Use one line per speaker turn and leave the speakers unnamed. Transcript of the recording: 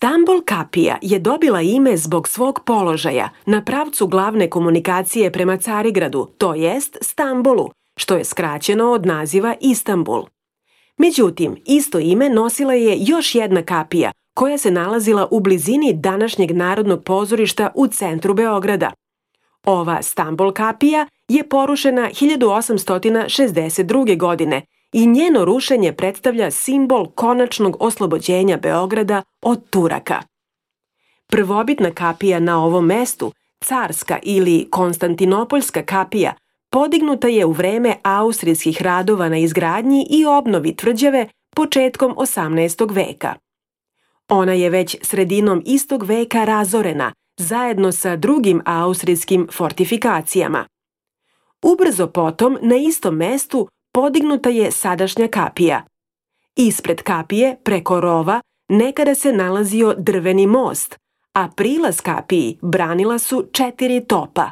Stambol kapija je dobila ime zbog svog položaja na pravcu glavne komunikacije prema Carigradu, to jest Stambolu, što je skraćeno od naziva Istanbul. Međutim, isto ime nosila je još jedna kapija koja se nalazila u blizini današnjeg Narodnog pozorišta u centru Beograda. Ova Stambol kapija je porušena 1862. godine i njeno rušenje predstavlja simbol konačnog oslobođenja Beograda od Turaka. Prvobitna kapija na ovom mestu, carska ili konstantinopoljska kapija, podignuta je u vreme austrijskih radova na izgradnji i obnovi tvrđave početkom 18. veka. Ona je već sredinom istog veka razorena, zajedno sa drugim austrijskim fortifikacijama. Ubrzo potom, na istom mestu, podignuta je sadašnja kapija. Ispred kapije, preko rova, nekada se nalazio drveni most, a prilaz kapiji branila su 4 topa.